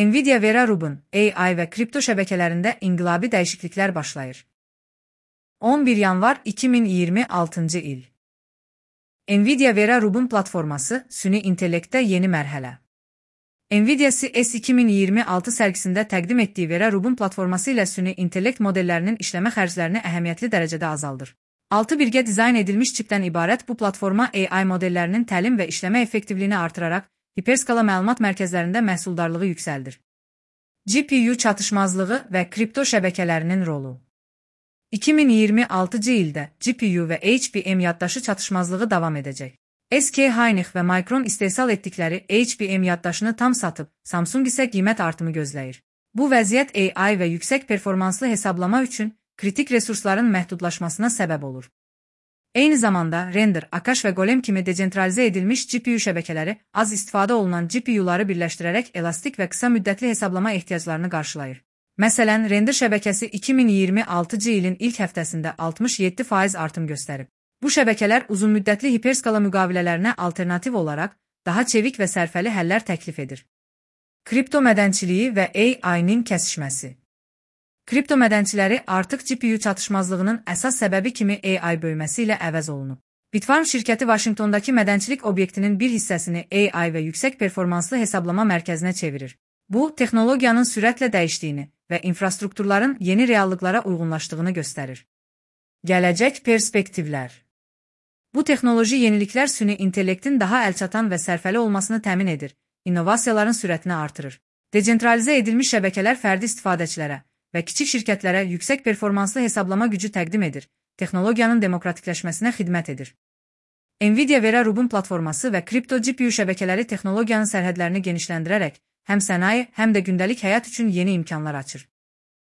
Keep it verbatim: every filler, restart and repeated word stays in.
Nvidia Vera Rubin, A I və kripto şəbəkələrində inqilabi dəyişikliklər başlayır. on bir yanvar iki min iyirmi altıncı il. Nvidia Vera Rubin platforması süni intellektdə yeni mərhələ. Nvidia C E S iki min iyirmi altı sərgisində təqdim etdiyi Vera Rubin platforması ilə süni intellekt modellərinin işləmə xərclərini əhəmiyyətli dərəcədə azaldır. altı birgə dizayn edilmiş çipdən ibarət bu platforma A I modellərinin təlim və işləmə effektivliyini artıraraq, hiperskala məlumat mərkəzlərində məhsuldarlığı yüksəldir. G P U çatışmazlığı və kripto şəbəkələrinin rolu. iki min iyirmi altıncı ildə G P U və H B M yaddaşı çatışmazlığı davam edəcək. S K Hynix və Micron istehsal etdikləri H B M yaddaşını tam satıb, Samsung isə qiymət artımı gözləyir. Bu vəziyyət A I və yüksək performanslı hesablama üçün kritik resursların məhdudlaşmasına səbəb olur. Eyni zamanda render, Akash və Golem kimi decentralizə edilmiş G P U şəbəkələri az istifadə olunan G P U'ları birləşdirərək elastik və qısa müddətli hesablama ehtiyaclarını qarşılayır. Məsələn, render şəbəkəsi iki min iyirmi altıncı ilin ilk həftəsində altmış yeddi faiz artım göstərib. Bu şəbəkələr uzunmüddətli hiperskala müqavilələrinə alternativ olaraq daha çevik və sərfəli həllər təklif edir. Kripto mədənçiliyi və A I-nin kəsişməsi. Kripto mədənçiləri artıq G P U çatışmazlığının əsas səbəbi kimi A I böyüməsi ilə əvəz olunub. Bitfarm şirkəti Vaşinqtondakı mədənçilik obyektinin bir hissəsini A I və yüksək performanslı hesablama mərkəzinə çevirir. Bu, texnologiyanın sürətlə dəyişdiyini və infrastrukturların yeni reallıqlara uyğunlaşdığını göstərir. Gələcək perspektivlər. Bu texnoloji yeniliklər süni intellektin daha əlçatan və sərfəli olmasını təmin edir, innovasiyaların sürətini artırır. Decentralizə edilmiş şəbəkələr fərdi istifadəçilərə və kiçik şirkətlərə yüksək performanslı hesablama gücü təqdim edir, texnologiyanın demokratikləşməsinə xidmət edir. Nvidia Vera Rubin platforması və kripto G P U şəbəkələri texnologiyanın sərhədlərini genişləndirərək həm sənaye, həm də gündəlik həyat üçün yeni imkanlar açır.